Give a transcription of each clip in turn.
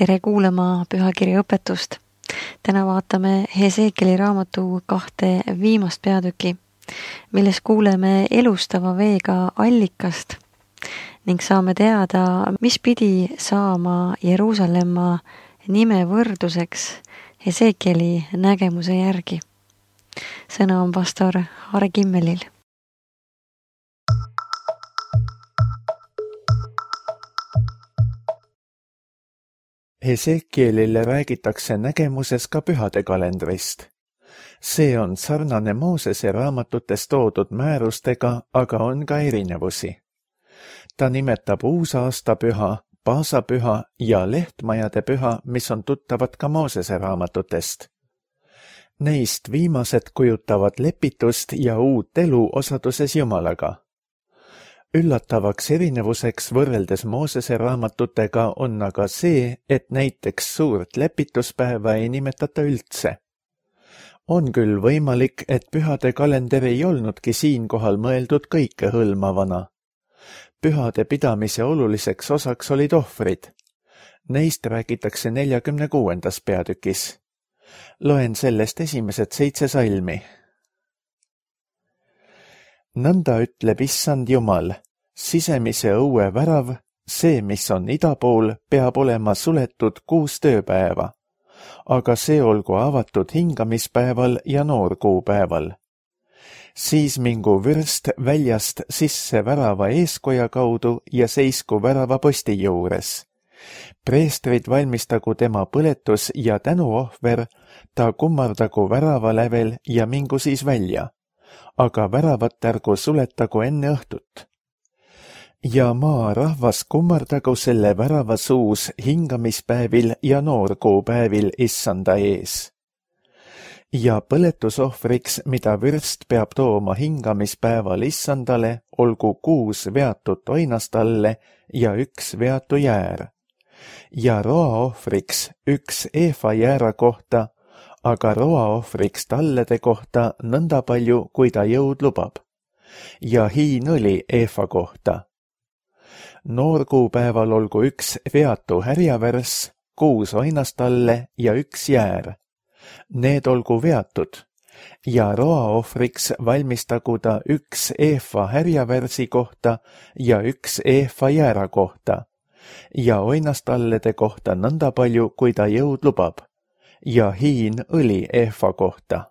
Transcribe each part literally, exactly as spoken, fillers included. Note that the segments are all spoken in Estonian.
tere kuulama pühakirja õpetust. Täna vaatame Hesekieli raamatu kahte viimast peatüki, milles kuuleme elustava veega allikast ning saame teada, mis pidi saama Jeruusalemma nime võrduseks Hesekieli nägemuse järgi. Sõna on pastor Harri Kimmelil. Hesekielile räägitakse nägemuses ka pühade kalendrist. See on sarnane Moosese raamatutes toodud määrustega, aga on ka erinevusi. Ta nimetab uusaastapüha, paasapüha ja lehtmajade püha, mis on tuttavad ka Moosese raamatutest. Neist viimased kujutavad lepitust ja uut elu osaduses Jumalaga. Üllatavaks erinevuseks võrreldes Moosese raamatutega on aga see, et näiteks suurt lepituspäeva ei nimetata üldse. On küll võimalik, et pühade kalender ei olnudki siinkohal mõeldud kõikehõlmavana. Pühade pidamise oluliseks osaks olid ohvrid. Neist räägitakse neljakümne kuuendas peatükis. Loen sellest esimesed seitse salmi. Nõnda ütleb issand Jumal, sisemise õue värav, see, mis on ida pool, peab olema suletud kuus tööpäeva, aga see olgu avatud hingamispäeval ja noorkuupäeval. Siis mingu vürst väljast sisse värava eeskoja kaudu ja seisku värava posti juures. Preestrid valmistagu tema põletus ja tänuohver, ta kummardagu värava lävel ja mingu siis välja. Aga väravat ärgu suletagu enne õhtut. Ja maa rahvas kummardagu selle värava suus hingamispäevil ja noorkuupäevil issanda ees. Ja põletusohvriks, mida vürst peab tooma hingamispäeval issandale, olgu kuus veatut oinastalle ja üks veatu jäär. Ja roaohvriks üks eefa jäära kohta, aga roaohvriks tallede kohta nõnda palju, kui ta jõud lubab. Ja hiin õli eefa kohta. Noorkuupäeval olgu üks veatu härjavärs, kuus oinastalle ja üks jäär. Need olgu veatud. Ja roaohvriks valmistagu ta üks eefa härjavärsi kohta ja üks eefa jäära kohta. Ja oinastallede kohta nõnda palju, kui ta jõud lubab. Ja hiin õli eefa kohta.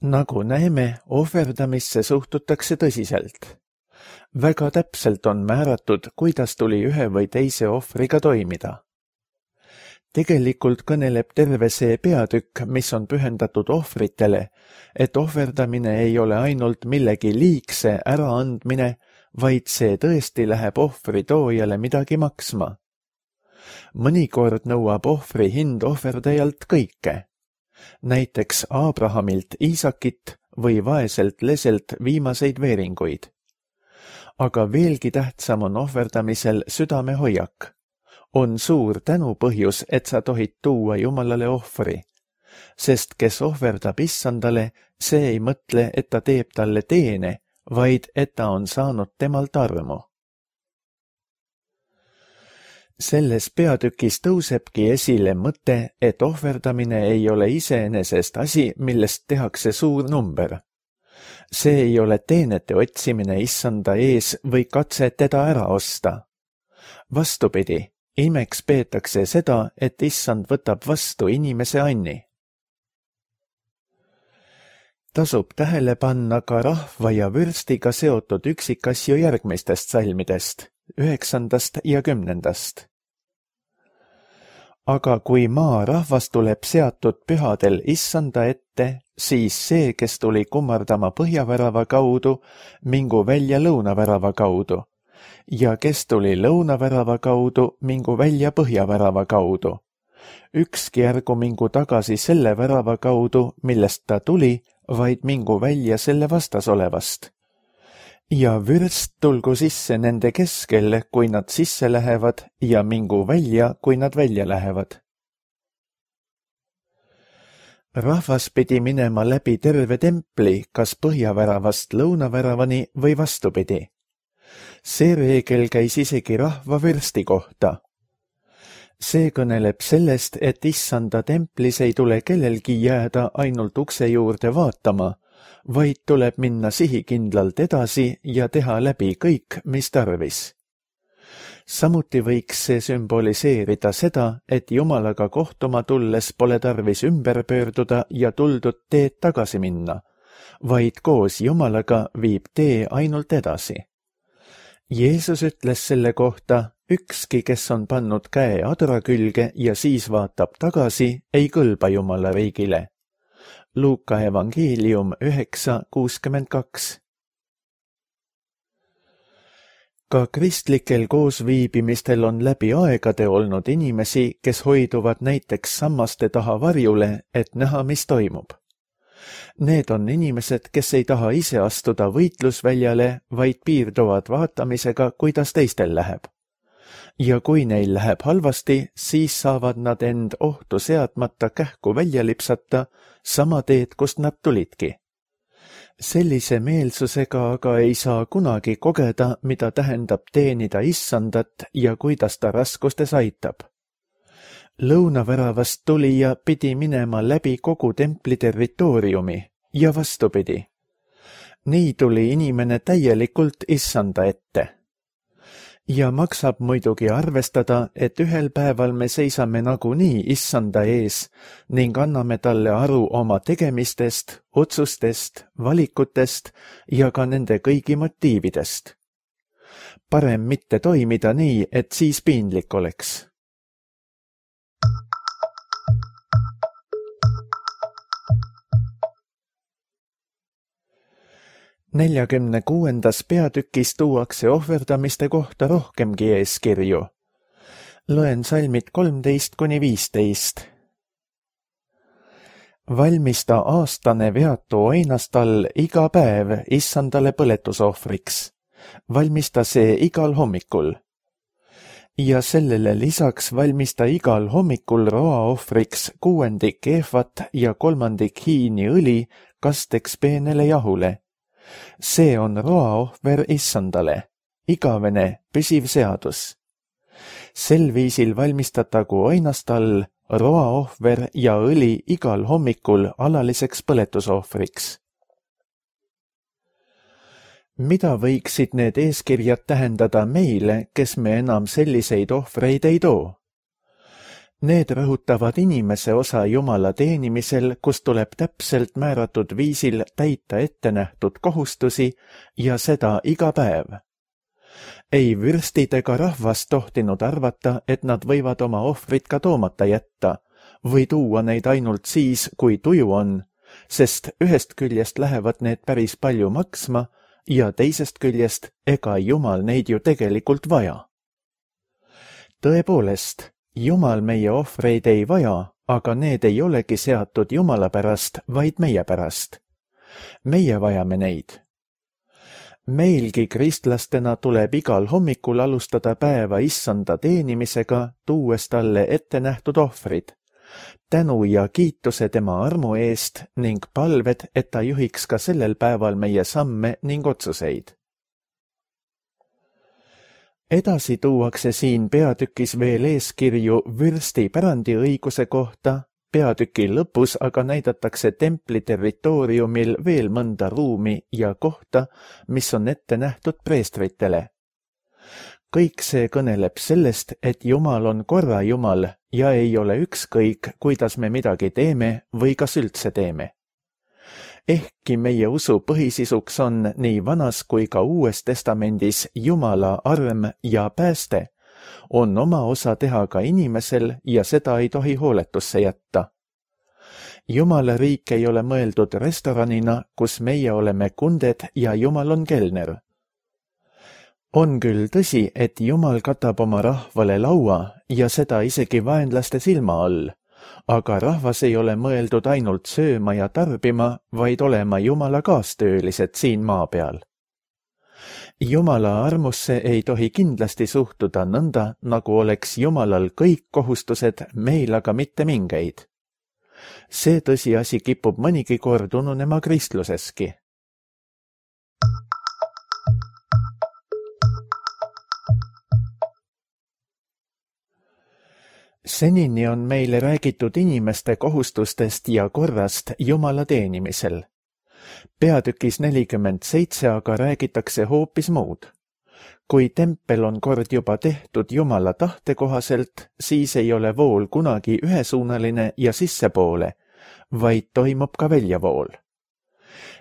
Nagu näeme, ohverdamisse suhtutakse tõsiselt. Väga täpselt on määratud, kuidas tuli ühe või teise ohvriga toimida. Tegelikult kõneleb terve see peatükk, mis on pühendatud ohvritele, et ohverdamine ei ole ainult millegi liigse äraandmine, vaid see tõesti läheb ohvri toojale midagi maksma. Mõnikord nõuab ohvri hind ohverdajalt kõike. Näiteks Abrahamilt Iisakit või vaeselt leselt viimaseid veeringuid. Aga veelgi tähtsam on ohverdamisel südamehoiak. On suur tänupõhjus, et sa tohid tuua Jumalale ohvri. Sest kes ohverdab issandale, see ei mõtle, et ta teeb talle teene, vaid et ta on saanud temalt armu. Selles peatükis tõusebki esile mõte, et ohverdamine ei ole iseenesest asi, millest tehakse suur number. See ei ole teenete otsimine issanda ees või katse teda ära osta. Vastupidi, imeks peetakse seda, et issand võtab vastu inimese anni. Tasub tähele panna ka rahva ja vürstiga seotud üksikasju järgmistest salmidest, üheksandast ja kümnendast. Aga kui maa rahvas tuleb seatud pühadel issanda ette, siis see, kes tuli kummardama põhjavärava kaudu, mingu välja lõunavärava kaudu, ja kes tuli lõunavärava kaudu, mingu välja põhjavärava kaudu. Ükski ärgu mingu tagasi selle värava kaudu, millest ta tuli, vaid mingu välja selle vastas olevast. Ja vürst tulgu sisse nende keskel, kui nad sisse lähevad, ja mingu välja, kui nad välja lähevad. Rahvas pidi minema läbi terve templi, kas põhjaväravast lõunaväravani või vastupidi. See reegel käis isegi rahva vürsti kohta. see kõneleb sellest, et issanda templis ei tule kellelgi jääda ainult ukse juurde vaatama, vaid tuleb minna sihikindlalt edasi ja teha läbi kõik, mis tarvis. Samuti võiks see sümboliseerida seda, et Jumalaga kohtuma tulles pole tarvis ümber pöörduda ja tuldud teed tagasi minna, vaid koos Jumalaga viib tee ainult edasi. Jeesus ütles selle kohta, ükski, kes on pannud käe adra külge ja siis vaatab tagasi, ei kõlba Jumala riigile. Luuka evangeelium üheksa kuuskümmend kaks. Ka kristlikel koosviibimistel on läbi aegade olnud inimesi, kes hoiduvad näiteks sammaste taha varjule, et näha, mis toimub. Need on inimesed, kes ei taha ise astuda võitlusväljale, vaid piirduvad vaatamisega, kuidas teistel läheb. Ja kui neil läheb halvasti, siis saavad nad end ohtu seadmata kähku välja lipsata, sama teed, kust nad tulidki. Sellise meelsusega aga ei saa kunagi kogeda, mida tähendab teenida issandat ja kuidas ta raskustes aitab. Lõunaväravast tulija pidi minema läbi kogu templi territooriumi ja vastupidi. Nii tuli inimene täielikult issanda ette. Ja maksab muidugi arvestada, et ühel päeval me seisame nagunii issanda ees ning anname talle aru oma tegemistest, otsustest, valikutest ja ka nende kõigi motiividest. Parem mitte toimida nii, et siis piinlik oleks. neljakümne kuuendas peatükis tuuakse ohverdamiste kohta rohkemgi eeskirju. Loen salmid kolmteist kuni viisteist. Valmista aastane veatu oinastall iga päev issandale põletusohvriks. Valmista see igal hommikul. Ja sellele lisaks valmista igal hommikul roaohvriks kuuendik eefat ja kolmandik hiini õli kasteks peenele jahule. See on roaohver issandale, igavene püsiv seadus. Sel viisil valmistatagu oinastall, roaohver ja õli igal hommikul alaliseks põletusohvriks. Mida võiksid need eeskirjad tähendada meile, kes me enam selliseid ohvreid ei too? Need rõhutavad inimese osa Jumala teenimisel, kus tuleb täpselt määratud viisil täita ettenähtud kohustusi ja seda iga päev. Ei vürstid ega rahvas tohtinud arvata, et nad võivad oma ohvrit ka toomata jätta või tuua neid ainult siis, kui tuju on, sest ühest küljest lähevad need päris palju maksma ja teisest küljest ega Jumal neid ju tegelikult vaja. Tõepoolest, Jumal meie ohvreid ei vaja, aga need ei olegi seatud Jumala pärast, vaid meie pärast. Meie vajame neid. Meilgi kristlastena tuleb igal hommikul alustada päeva issanda teenimisega, tuues talle ette nähtud ohvrid. Tänu ja kiituse tema armu eest ning palved, et ta juhiks ka sellel päeval meie samme ning otsuseid. Edasi tuuakse siin peatükis veel eeskirju vürsti pärandiõiguse kohta, peatüki lõpus aga näidatakse templi territooriumil veel mõnda ruumi ja kohta, mis on ette nähtud preestritele. Kõik see kõneleb sellest, et Jumal on korra Jumal ja ei ole ükskõik, kuidas me midagi teeme või kas üldse teeme. Ehkki meie usu põhisisuks on nii vanas kui ka uues testamendis Jumala arm ja pääste, on oma osa teha ka inimesel ja seda ei tohi hooletusse jätta. Jumala riik ei ole mõeldud restoranina, kus meie oleme kunded ja Jumal on kelner. On küll tõsi, et Jumal katab oma rahvale laua ja seda isegi vaenlaste silma all, aga rahvas ei ole mõeldud ainult sööma ja tarbima, vaid olema Jumala kaastöölised siin maa peal. Jumala armusse ei tohi kindlasti suhtuda nõnda, nagu oleks Jumalal kõik kohustused, meil aga mitte mingeid. See tõsiasi kipub mõnigi kord ununema kristluseski. senini on meile räägitud inimeste kohustustest ja korrast Jumala teenimisel. Peatükis nelikümmend seitse aga räägitakse hoopis muud. Kui tempel on kord juba tehtud Jumala tahte kohaselt, siis ei ole vool kunagi ühesuunaline ja sissepoole, vaid toimub ka väljavool.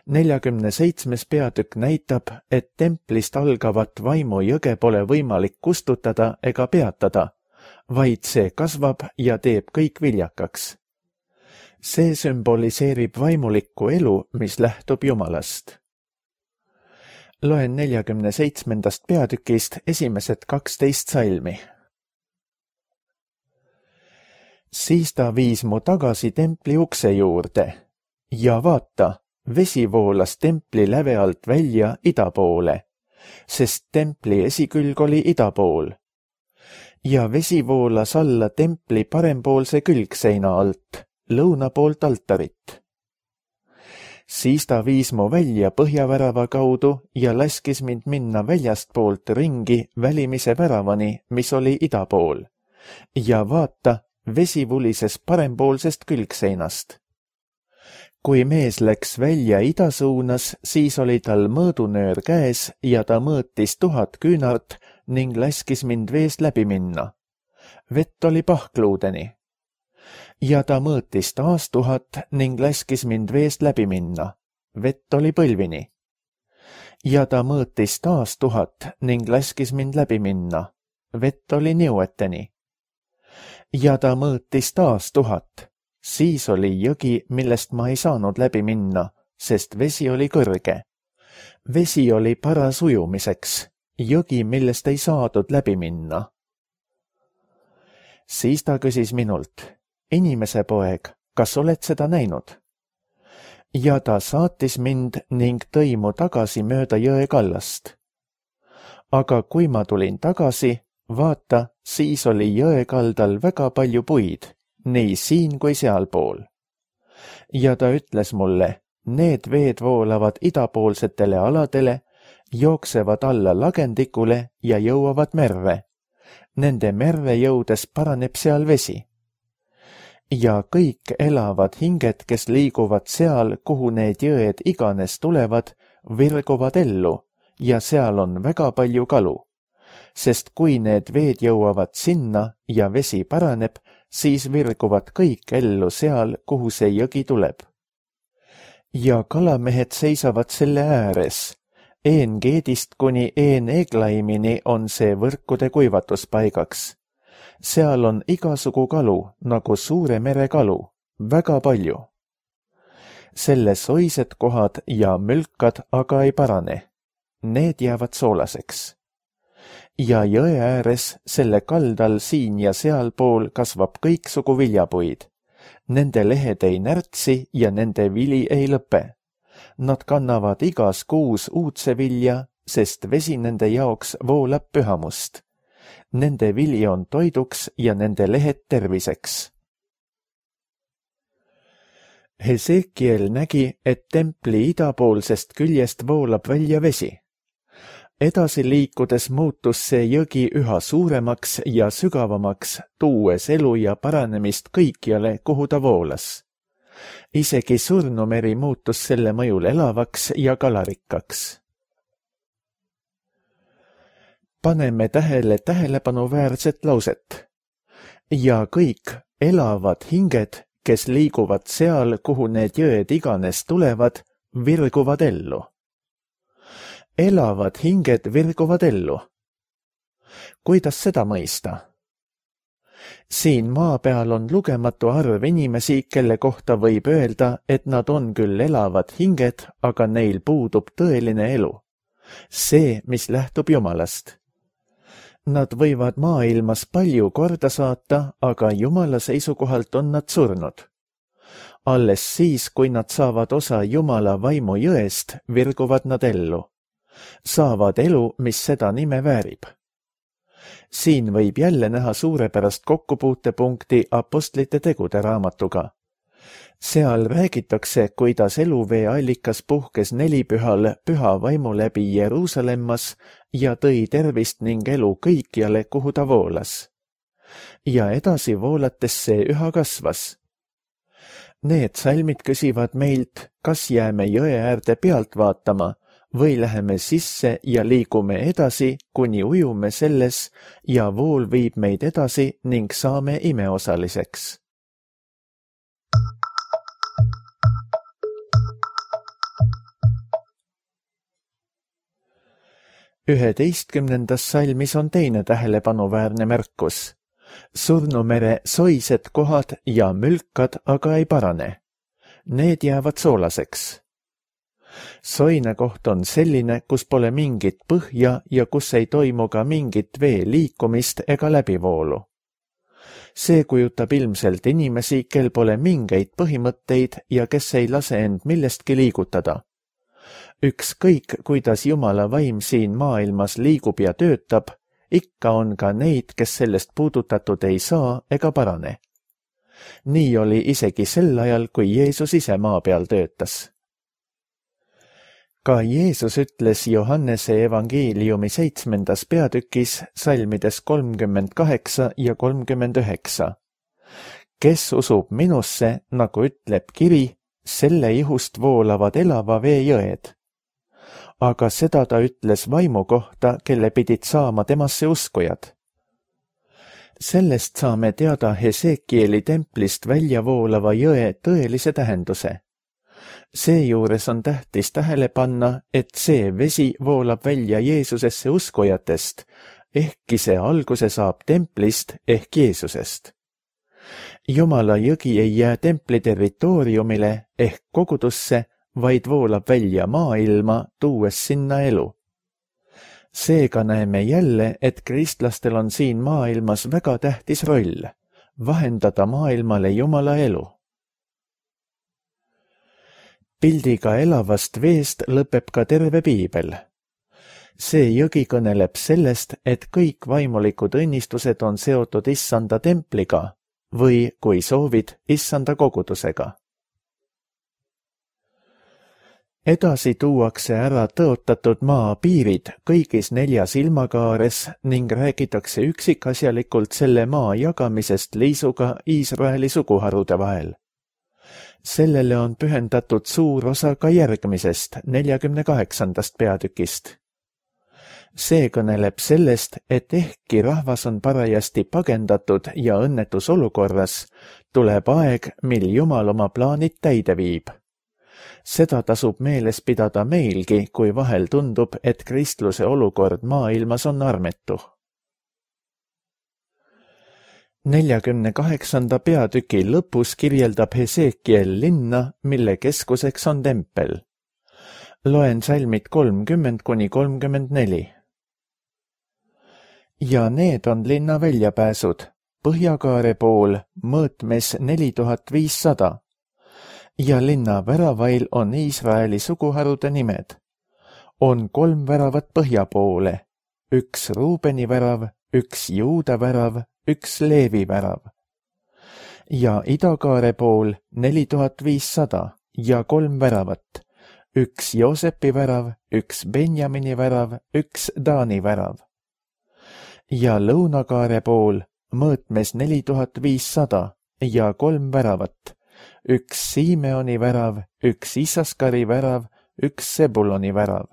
neljakümne seitsmes peatükk näitab, et templist algavat vaimu jõge pole võimalik kustutada ega peatada, vaid see kasvab ja teeb kõik viljakaks. See sümboliseerib vaimulikku elu, mis lähtub Jumalast. Loen neljakümne seitsmendast peatükist esimesed kaksteist salmi. Siis ta viis mu tagasi templi ukse juurde ja vaata, vesi voolas templi läve alt välja ida poole, sest templi esikülg oli ida pool. Ja vesi voolas alla templi parempoolse külgseina alt, lõuna poolt altarit. Siis ta viis mu välja põhjavärava kaudu ja laskis mind minna väljast poolt ringi välimise väravani, mis oli ida pool. Ja vaata, vesi vulises parempoolsest külgseinast. Kui mees läks välja ida suunas, siis oli tal mõõdunöör käes ja ta mõõtis tuhat küünart ning laskis mind veest läbi minna. Vett oli pahkluudeni. Ja ta mõõtis taas tuhat ning laskis mind veest läbi minna. Vett oli põlvini. Ja ta mõõtis taas tuhat ning laskis mind läbi minna. Vett oli niueteni. Ja ta mõõtis taas tuhat. Siis oli jõgi, millest ma ei saanud läbi minna, sest vesi oli kõrge. Vesi oli paras ujumiseks, jõgi, millest ei saadud läbi minna. Siis ta küsis minult, inimese poeg, kas oled seda näinud? Ja ta saatis mind ning tõi mu tagasi mööda jõe kallast. Aga kui ma tulin tagasi, vaata, siis oli jõe kaldal väga palju puid, nii siin kui sealpool. Ja ta ütles mulle, need veed voolavad idapoolsetele aladele, jooksevad alla lagendikule ja jõuavad merre. Nende merre jõudes paraneb seal vesi. Ja kõik elavad hinged, kes liiguvad seal, kuhu need jõed iganes tulevad, virguvad ellu ja seal on väga palju kalu. Sest kui need veed jõuavad sinna ja vesi paraneb, siis virguvad kõik ellu seal, kuhu see jõgi tuleb. Ja kalamehed seisavad selle ääres. Een-Geedist kuni Een-Eglaimini on see võrkude kuivatuspaigaks. Seal on igasugu kalu, nagu suure mere kalu, väga palju. Selles oised kohad ja mülkad aga ei parane. Need jäävad soolaseks. Ja jõe ääres, selle kaldal siin ja sealpool kasvab kõiksugu viljapuid. Nende lehed ei närtsi ja nende vili ei lõpe. Nad kannavad igas kuus uudse vilja, sest vesi nende jaoks voolab pühamust. Nende vili on toiduks ja nende lehed terviseks. Hesekiel nägi, et templi idapoolsest küljest voolab välja vesi. Edasi liikudes muutus see jõgi üha suuremaks ja sügavamaks, tuues elu ja paranemist kõikjale, kuhu ta voolas. Isegi surnumeri muutus selle mõjul elavaks ja kalarikkaks. Paneme tähele tähelepanuväärset lauset. Ja kõik elavad hinged, kes liiguvad seal, kuhu need jõed iganes tulevad, virguvad ellu. Elavad hinged virguvad ellu. Kuidas seda mõista? Siin maa peal on lugematu arv inimesi, kelle kohta võib öelda, et nad on küll elavad hinged, aga neil puudub tõeline elu. See, mis lähtub Jumalast. Nad võivad maailmas palju korda saata, aga Jumala seisukohalt on nad surnud. Alles siis, kui nad saavad osa Jumala vaimu jõest, virguvad nad ellu. Saavad elu, mis seda nime väärib. Siin võib jälle näha suurepärast kokkupuutepunkti apostlite tegude raamatuga. Seal räägitakse, kuidas eluvee allikas puhkes nelipühal püha vaimu läbi Jeruusalemmas ja tõi tervist ning elu kõikjale, kuhu ta voolas. ja edasi voolates see üha kasvas. Need salmid küsivad meilt, kas jääme jõe äärde pealt vaatama või läheme sisse ja liigume edasi, kuni ujume selles ja vool viib meid edasi ning saame imeosaliseks. üheteistkümnendas salmis on teine tähelepanuväärne märkus. Surnumere soised kohad ja mülkad aga ei parane. Need jäävad soolaseks. Soine koht on selline, kus pole mingit põhja ja kus ei toimu ka mingit vee liikumist ega läbivoolu. See kujutab ilmselt inimesi, kel pole mingeid põhimõtteid ja kes ei lase end millestki liigutada. Ükskõik, kuidas Jumala vaim siin maailmas liigub ja töötab, ikka on ka neid, kes sellest puudutatud ei saa ega parane. Nii oli isegi sel ajal, kui Jeesus ise maa peal töötas. Ka Jeesus ütles Johannese evangeeliumi seitsmendas peatükis salmides kolmkümmend kaheksa ja kolmkümmend üheksa. Kes usub minusse, nagu ütleb kiri, selle ihust voolavad elava vee jõed. Aga seda ta ütles vaimu kohta, kelle pidid saama temasse uskujad. Sellest saame teada Hesekieli templist välja voolava jõe tõelise tähenduse. Seejuures on tähtis tähele panna, et see vesi voolab välja Jeesusesse uskujatest, ehkki see alguse saab templist ehk Jeesusest. Jumala jõgi ei jää templi territooriumile ehk kogudusse, vaid voolab välja maailma, tuues sinna elu. Seega näeme jälle, et kristlastel on siin maailmas väga tähtis roll, vahendada maailmale Jumala elu. Pildiga elavast veest lõpeb ka terve piibel. See jõgi kõneleb sellest, et kõik vaimulikud õnnistused on seotud issanda templiga või, kui soovid, issanda kogudusega. Edasi tuuakse ära tõotatud maa piirid kõigis neljas ilmakaares ning räägitakse üksikasjalikult selle maa jagamisest liisuga Iisraeli suguharude vahel. Sellele on pühendatud suur osa ka järgmisest, neljakümne kaheksandast peatükist. See kõneleb sellest, et ehkki rahvas on parajasti pagendatud ja õnnetus olukorras, tuleb aeg, mil Jumal oma plaanid täide viib. Seda tasub meeles pidada meilgi, kui vahel tundub, et kristluse olukord maailmas on armetu. neljakümne kaheksanda peatüki lõpus kirjeldab Hesekiel linna, mille keskuseks on tempel. Loen salmid kolmkümmend kuni kolmkümmend neli. Ja need on linna väljapääsud, põhjakaare pool, mõõtmes neli tuhat viissada. Ja linna väravail on Iisraeli suguharude nimed. On kolm väravat põhja poole, üks Ruubeni värav, üks Juuda värav, üks Leevi värav. Ja idakaare pool neli tuhat viissada ja kolm väravat, üks Joosepi värav, üks Benjamini värav, üks Taani värav. Ja lõunakaare pool mõõtmes neli tuhat viissada ja kolm väravat, üks Siimeoni värav, üks Isaskari värav, üks Sebuloni värav.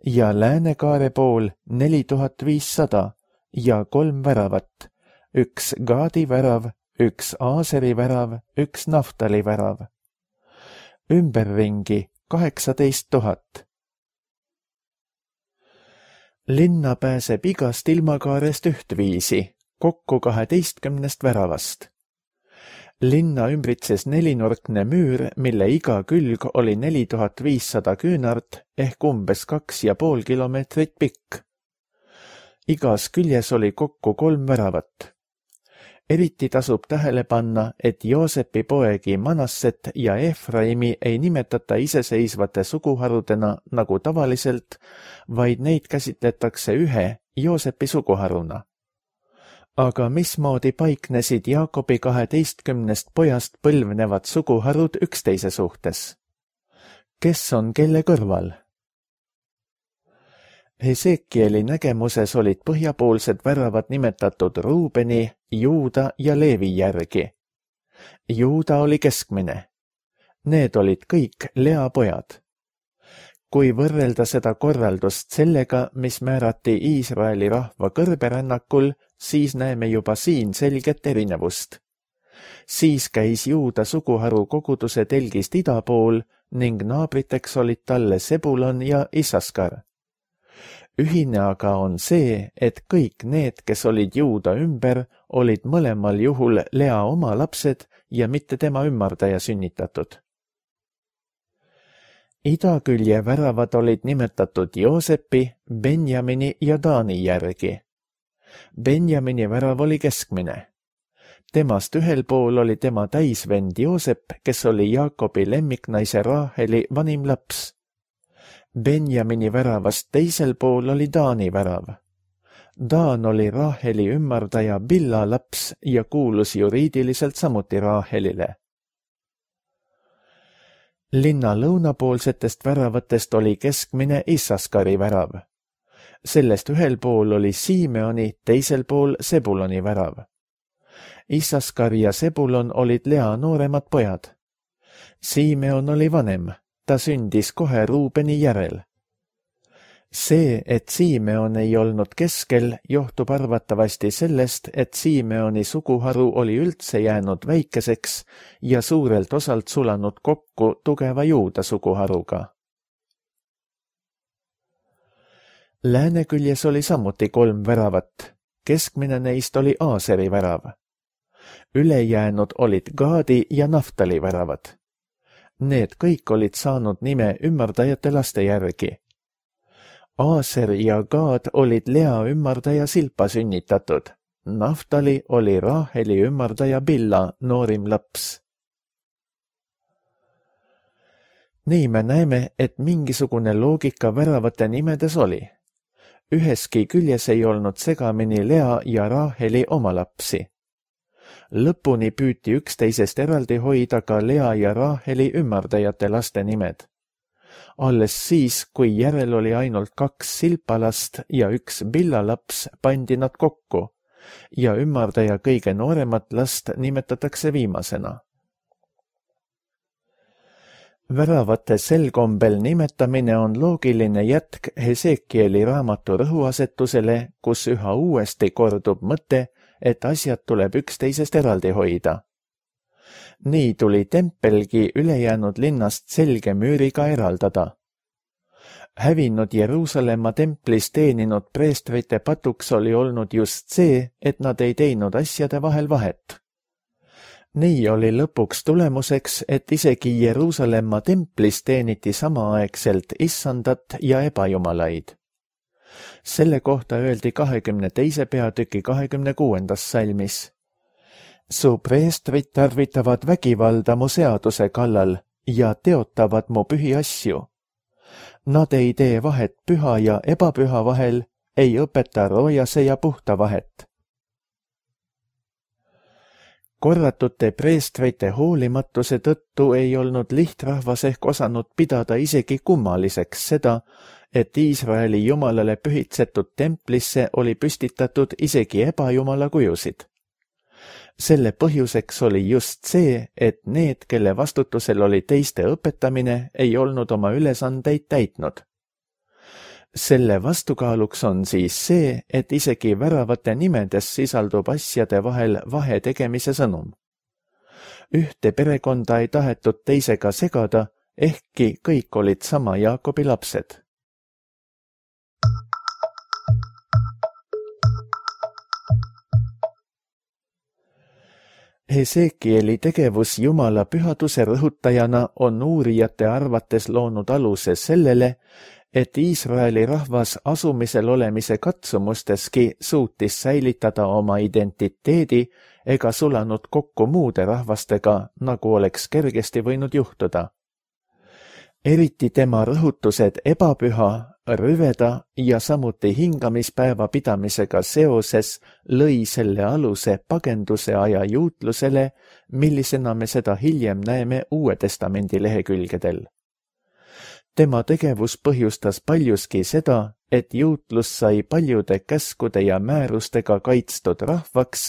Ja läänekaare pool neli tuhat viissada ja kolm väravat, üks Gaadi värav, üks Aaseri värav, üks Naftali värav. Ümberringi kaheksateist tuhat. Linna pääseb igast ilmakaarest ühtviisi, kokku kaheteistkümnest väravast. Linna ümbritses nelinurkne müür, mille iga külg oli neli tuhat viissada küünart ehk umbes kaks ja pool kilomeetrit pikk. Igas küljes oli kokku kolm väravat. Eriti tasub tähele panna, et Joosepi poegi Manasset ja Efraimi ei nimetata iseseisvate suguharudena nagu tavaliselt, vaid neid käsitletakse ühe Joosepi suguharuna. Aga mismoodi paiknesid Jaakobi kaheteistkümnest pojast põlvnevad suguharud üksteise suhtes? Kes on kelle kõrval? Hesekieli nägemuses olid põhjapoolsed väravad nimetatud Ruubeni, Juuda ja Leevi järgi. Juuda oli keskmine. Need olid kõik Lea pojad. Kui võrrelda seda korraldust sellega, mis määrati Iisraeli rahva kõrberännakul, siis näeme juba siin selget erinevust. Siis käis Juuda suguharu koguduse telgist ida pool ning naabriteks olid talle Sebulon ja Issaskar. Ühine aga on see, et kõik need, kes olid Juuda ümber, olid mõlemal juhul Lea oma lapsed ja mitte tema ümmardaja sünnitatud. Idakülje väravad olid nimetatud Joosepi, Benjamini ja Taani järgi. Benjamini värav oli keskmine. Temast ühel pool oli tema täisvend Joosep, kes oli Jaakobi lemmiknaise Raaheli vanim laps. Benjamini väravast teisel pool oli Taani värav. Taan oli Raaheli ümmardaja Billa laps ja kuulus juriidiliselt samuti Raahelile. Linna lõunapoolsetest väravatest oli keskmine Issaskari värav. Sellest ühel pool oli Siimeoni, teisel pool Sebuloni värav. Issaskar ja Sebulon olid Lea nooremad pojad. Siimeon oli vanem, ta sündis kohe Ruubeni järel. See, et Siimeon ei olnud keskel, johtub arvatavasti sellest, et Siimeoni suguharu oli üldse jäänud väikeseks ja suurelt osalt sulanud kokku tugeva Juuda suguharuga. Lääneküljes oli samuti kolm väravat. Keskmine neist oli Aaseri värav. Ülejäänud olid Gaadi ja Naftali väravad. Need kõik olid saanud nime ümardajate laste järgi. Aaser ja Gaad olid Lea ümardaja Silpa sünnitatud. Naftali oli Raaheli ümardaja Billa noorim laps. Nii me näeme, et mingisugune loogika väravate nimedes oli. Üheski küljes ei olnud segamini Lea ja Raaheli oma lapsi. Lõpuni püüti üksteisest eraldi hoida ka Lea ja Raaheli ümardajate laste nimed. Alles siis, kui järel oli ainult kaks Silpalast ja üks Billa laps, pandi nad kokku ja ümardaja kõige nooremat last nimetatakse viimasena. Väravate sel kombel nimetamine on loogiline jätk Hesekieli raamatu rõhuasetusele, kus üha uuesti kordub mõte, et asjad tuleb üksteisest eraldi hoida. Nii tuli tempelgi ülejäänud linnast selge müüriga eraldada. Hävinud Jeruusalemma templis teeninud preestrite patuks oli olnud just see, et nad ei teinud asjade vahel vahet. Nii oli lõpuks tulemuseks, et isegi Jeruusalemma templis teeniti samaaegselt issandat ja ebajumalaid. Selle kohta öeldi kahekümne teise peatüki kahekümne kuuendas salmis. Su preestrid tarvitavad vägivalda mu seaduse kallal ja teotavad mu pühi asju. Nad ei tee vahet püha ja ebapüha vahel, ei õpeta roojase ja puhta vahet. Korratute preestrite hoolimatuse tõttu ei olnud lihtrahvas ehk osanud pidada isegi kummaliseks seda, et Iisraeli jumalale pühitsetud templisse oli püstitatud isegi ebajumala kujusid. Selle põhjuseks oli just see, et need, kelle vastutusel oli teiste õpetamine, ei olnud oma ülesandeid täitnud. Selle vastukaaluks on siis see, et isegi väravate nimedes sisaldub asjade vahel vahe tegemise sõnum. Ühte perekonda ei tahetud teisega segada, ehkki kõik olid sama Jaakobi lapsed. Hesekieli tegevus Jumala pühaduse rõhutajana on uurijate arvates loonud aluse sellele, et Iisraeli rahvas asumisel olemise katsumusteski suutis säilitada oma identiteedi ega sulanud kokku muude rahvastega, nagu oleks kergesti võinud juhtuda. Eriti tema rõhutused ebapüha, rüveda ja samuti hingamispäeva pidamisega seoses lõi selle aluse pagenduse aja juutlusele, millisena me seda hiljem näeme Uue Testamendi lehekülgedel. tema tegevus põhjustas paljuski seda, et juutlus sai paljude käskude ja määrustega kaitstud rahvaks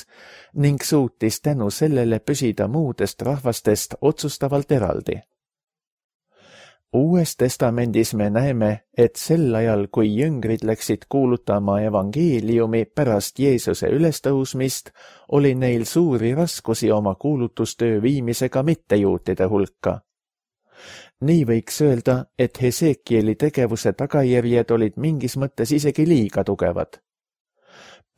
ning suutis tänu sellele püsida muudest rahvastest otsustavalt eraldi. Uues testamendis me näeme, et sel ajal, kui jüngrid läksid kuulutama evangeeliumi pärast Jeesuse ülestõusmist, oli neil suuri raskusi oma kuulutustöö viimisega mittejuutide hulka. Nii võiks öelda, et Hesekieli tegevuse tagajärjed olid mingis mõttes isegi liiga tugevad.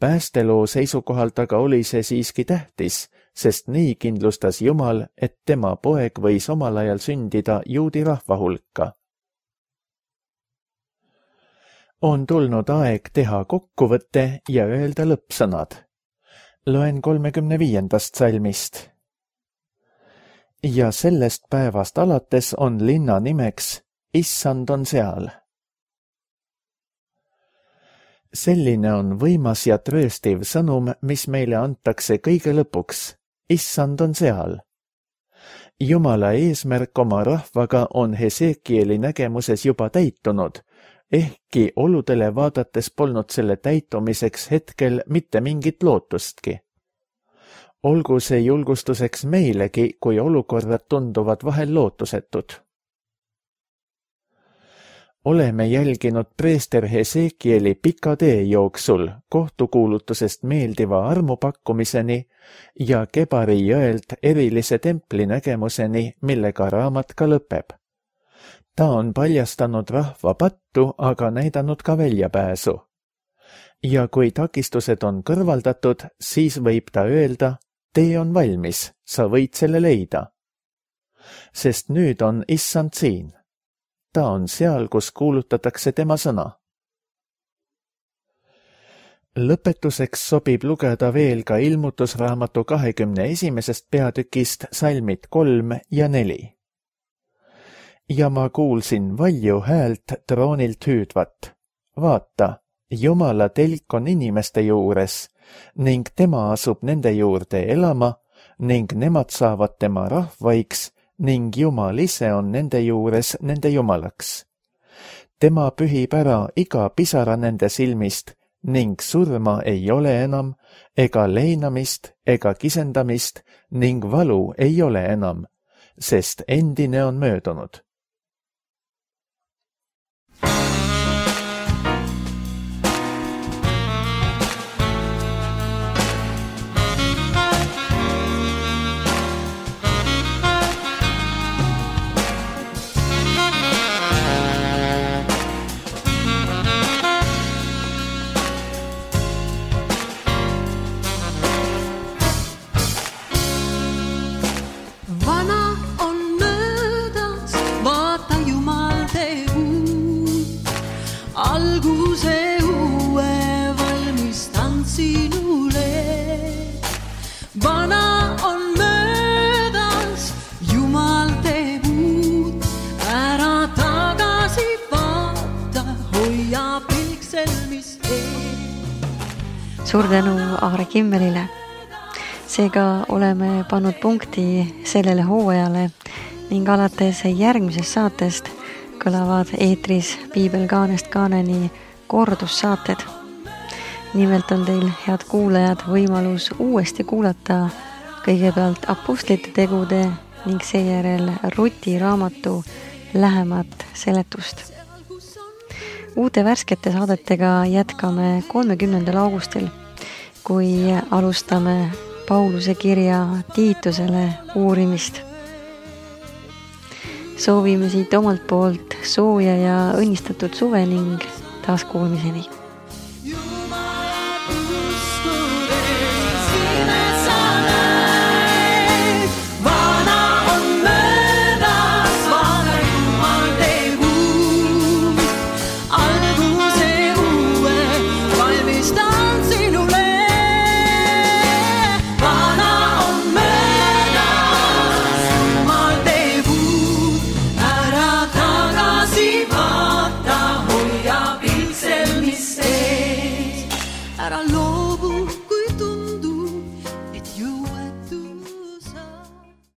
Päästeloo seisukohalt aga oli see siiski tähtis, sest nii kindlustas Jumal, et tema poeg võis omal ajal sündida juudi rahva hulka. On tulnud aeg teha kokkuvõte ja öelda lõppsõnad. Loen kolmekümne viiendast salmist. Ja sellest päevast alates on linna nimeks Issand on seal. Selline on võimas ja trööstiv sõnum, mis meile antakse kõige lõpuks. Issand on seal. Jumala eesmärk oma rahvaga on Hesekieli nägemuses juba täitunud, ehkki oludele vaadates polnud selle täitumiseks hetkel mitte mingit lootustki. Olgu see julgustuseks meilegi, kui olukorrad tunduvad vahel lootusetud. Oleme jälginud preester Hesekieli pika tee jooksul kohtukuulutusest meeldiva armupakkumiseni ja Kebari jõelt erilise templi nägemuseni, millega raamat ka lõpeb. Ta on paljastanud rahva pattu, aga näidanud ka väljapääsu. Ja kui takistused on kõrvaldatud, siis võib ta öelda, tee on valmis, sa võid selle leida. Sest nüüd on Issand siin. Ta on seal, kus kuulutatakse tema sõna. Lõpetuseks sobib lugeda veel ka ilmutusraamatu kahekümne esimesest peatükist salmid kolm ja neli. Ja ma kuulsin valju häält troonilt hüüdvat. Vaata, Jumala telk on inimeste juures ning tema asub nende juurde elama ning nemad saavad tema rahvaiks ning Jumal ise on nende juures nende Jumalaks. Tema pühib ära iga pisara nende silmist ning surma ei ole enam, ega leinamist, ega kisendamist ning valu ei ole enam, sest endine on möödunud. Suur tänu Aare Kimmelile. Seega oleme pannud punkti sellele hooajale ning alates järgmisest saatest kõlavad eetris Piibel kaanest kaaneni kordussaated. Nimelt on teil, head kuulajad, võimalus uuesti kuulata kõigepealt Apostlite tegude ning seejärel Ruti raamatu lähemat seletust. Uute värskete saadetega jätkame kolmekümnendal augustil, kui alustame Pauluse kirja Tiitusele uurimist. Soovime siit omalt poolt sooja ja õnnistatud suve ning taaskuulmiseni.